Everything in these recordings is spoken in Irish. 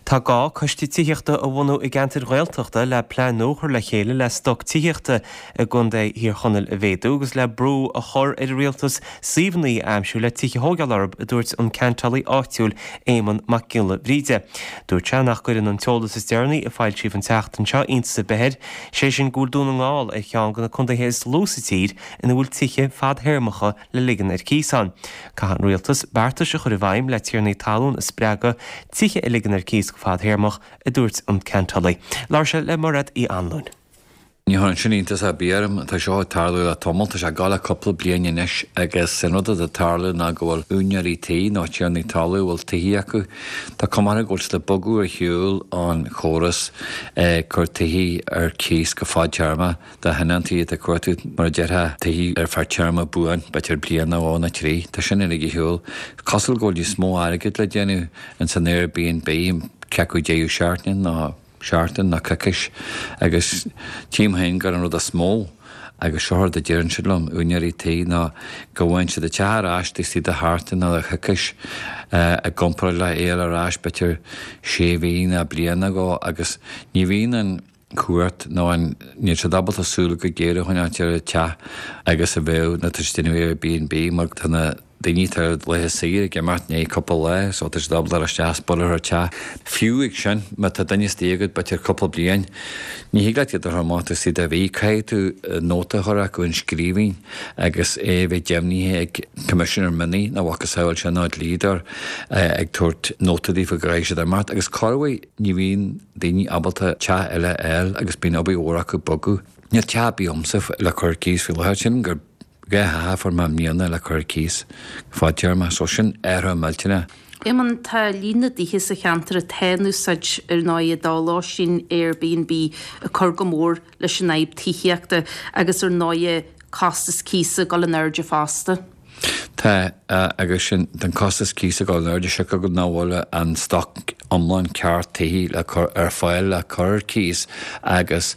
Tá gá coiste tithíochta a bhunú i gceantair Ghaeltachta le plean nua a chur le chéile le stoc tithíochta i gContae Thír Chonaill a mhéadú agus le brú a chur ar an rialtas suíomhanna a aimsiú le tithe a thógáil orthu, a dúirt an ceantálaí áitiúil Éamonn Mac Giolla Bhríde. Dúirt sé nach gcuireann an t-eolas is deireanaí a foilsíodh an tseachtain seo iontas ar bith air, sé sin go bhfuil Dún na nGall ar cheann de na contaetha is lú sa tír ina bhfuil tithe fadthéarmacha le ligean ar cíos ann. Caithfidh an rialtas beartais a chur i bhfeidhm le tiarnaí talún a spreagadh tithe a ligean ar cíos go fadthéarmach, a dúirt an ceantálaí. Labhair sé le Mairéad Uí Anluain. Ní chuireann sin iontas ar bith orm. Tá seo ag tarlú le tamall, tá sé ag gabháil le cúpla bliain anois agus an rud atá ag tarlú ná go bhfuil úinéirí tí nó tiarnaí talún a bhfuil tithe acu, tá cuma orthu go bhfuil siad ag bogadh ar shiúl ón chóras ag cur tithe ar cíos go fadtéarma. Do thionóntaí atá ag cuartú, mar a déarfá, tithe ar feadh téarma buan, b'fhéidir bliain nó dhó nó trí. Tá sin uilig ar shiúl. Cosúil go bhfuil níos mó airgid le déanamh ins an Airbnb, cé acu deireadh seachtaine nó seachtain nó coicís, agus tchím féin gur an rud is mó, agus seo rud a deireann siad liom, úinéirí tí, ná go bhfaigheann siad an teach ar ais taobh istigh de sheachtain nó de choicís i gcomparáid le é a fháil ar ais b'fhéidir sé mhí nó bliain ó shin agus ní bhíonn an cuairt nó an níl siad ábalta súil chomh géar a choinneáilt ar an teach agus a bheadh nuair atá siad ag déanamh Airbnb mar tá na daoine atá ar laetha saoire ag imeacht i ndiaidh cúpla lá so tá siad ábalta dul isteach is bualadh ar an teach. Fiú ag sin má tá duine istigh agat b'fhéidir cúpla bliain ní thig leat iad a chur amach taobh istigh de mhí caithfidh tú nóta a chur acu in scríbhinn agus é a bheith deimhnithe ag Coimisinéir Mionnaigh nó a mhacasamhail sin nó dlíodóir ag tabhairt nóta daofa go gcaithfidh siad imeacht agus corruair ní bhíonn daoine ábalta teach eile a fháil agus bíonn obair mhór acu bogadh. Níl teach ar bith agamsa le cur ar cíos faoi láthair. Sílim gur 2 theach a fuair mé i mbliana le cur ar cíos fadtéarma, so sin athrú millteanach. Éamonn, tá líon na dtithe sa cheantar atá in úsáid ar ndóigh do lóistín Airbnb ag cur go mór leis an fhadhb tithíochta agus ar ndóigh costas cíosa ag dul in airde fosta. Tá, agus sin, tá an costas cíosa ag dul in airde siocair go nach bhfuil an stoc iomlán ceart tithe le cur ar fáil le cur ar cíos agus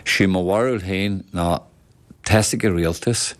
sé mo bharúil féin ná tá's ag an rialtas,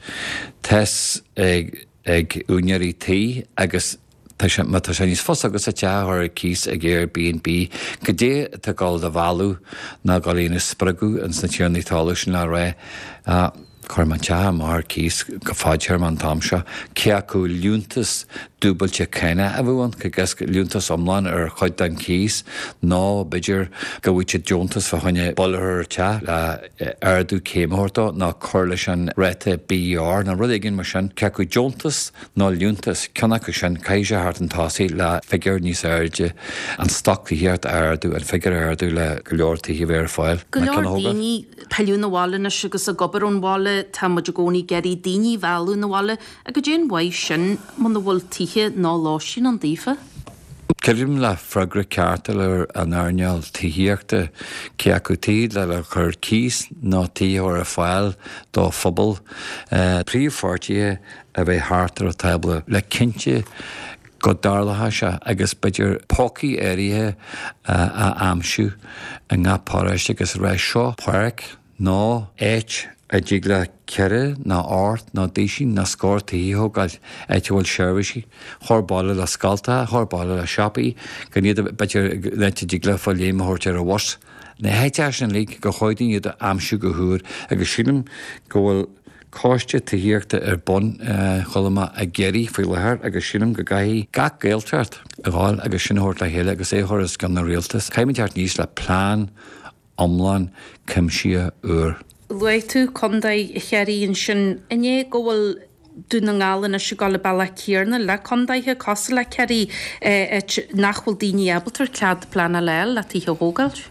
tá's ag ag úinéirí tí agus tá sé, má tá sé níos fusa agatsa teach a chur ar cíos ag Airbnb, goidé atá ag dul do mhealladh ná ag dul a dhéanamh spreagadh ins na tiarnaí talún sin le rá, Cuirfidh mé an teach amach ar cíos go fadtéarma an t-am seo. Cé acu liúntas dúbailte cánach a bheadh ann, agus liúntas iomlán ar chuid den chíos, nó b'fhéidir go bhfaigheadh siad deontas fá choinne buille a chur ar teach le ardú céime a thabhairt dó, nó cur leis an ráta BER, nó rud éigin mar sin. Cé acu deontas nó liúntas, ceann acu sin, caithfidh sé theacht chun tosaigh le figiúr níos airde, an stoc tithíochta a ardú, an figiúr a ardú le go leor tithe a bheith ar fáil. Go leor daoine ag pilleadh 'na bhaile anois agus ag obair ón bhaile, tá muid i gcónaí ag iarraidh daoine a mhealladh 'na bhaile, ach goidé an mhaith sin muna bhfuil tithe ná lóistín ann daofa. Creidim le freagra ceart a fháil ar an earnáil tithíochta, cé acu tithe le cur ar cíos nó tithe a chur ar fáil do phobal, príomhpháirtithe a bheith thart ar an tábla le cinnte go dtarlóidh sé agus b'fhéidir pócaí áirithe a aimsiú i ngach paróiste agus a rá seo páirc nó áit a dtig le ceithre nó ocht nó duisín nó scór tithe a thógáil, áit a bhfuil seirbhísí, chóir baile le scoltacha, chóir baile le siopaí, gan iad b'fhéidir áit a dtig leofa léim a thabhairt ar an bhus. Na háiteacha sin uilig gur chóir dúinn iad a aimsiú go húr agus sílim go bhfuil Coiste Tithíochta ar bun, chuala mé, i gCiarraí faoi láthair agus sílim go gcaithfidh gach Gaeltacht a ghabháil agus sin a thabhairt le chéile agus é a chur os cionn an rialtais. Caithfimid teacht aníos le plean iomlán cuimsitheach úr. Luaigh tú Contae Chiarraí ansin. An é go bhfuil Dún na nGall anois ag dul an bealach céanna le contaetha cosúil le Ciarraí, áit nach bhfuil daoine ábalta cead pleanála a fháil le tithe a thógáilt?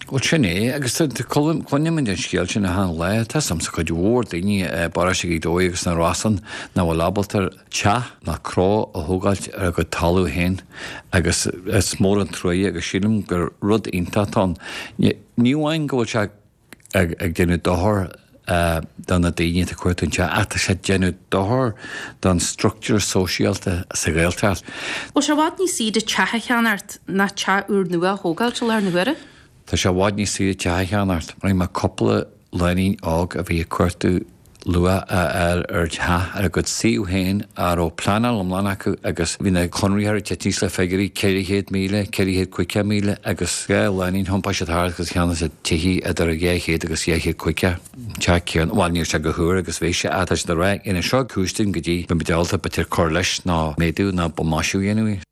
Bhuel, sin é, agus cluinimid an scéal sin achan lá. Tá 'fhios a'msa cuid mhór daoine i bparóiste Ghaoth Dobhair agus na Rosann nach bhfuil ábalta teach ná cró a thógáilt ar a gcuid talamh féin agus is mór an truaighe agus sílim gur rud iontach atá ann. Ní amháin go bhfuil sé ag déanamh dochar do na daoine atá ag cuartú an teach ach tá sé ag déanamh dochar don struchtúr sóisialta sa Ghaeltacht. Bhfuil sé i bhfad níos saoire teach a cheannacht ná teach úrnua a thógáilt i láthair na huaire? Tá sé i bhfad níos saoire teach a cheannacht. Rinne mé cúpla lánúin óg a bhí ag cuartú. luath a fháil ar theach ar a gcuid suíomh féin a raibh pleanáil iomlán acu agus bhí na conraitheoirí ag teacht aníos le figiúirí 400,000, 450,000 agus 2 lánúin thiompaigh siad thart agus cheannaigh siad tithe idir 200 agus 250. Teach céanna, bhuel níl sé chomh húr agus bhí sé ach tá siad ag rá ina seo cúis dúinn go dtí beidh muid ábalta b'fhéidir cur leis nó méadú nó maisiú a dhéanamh.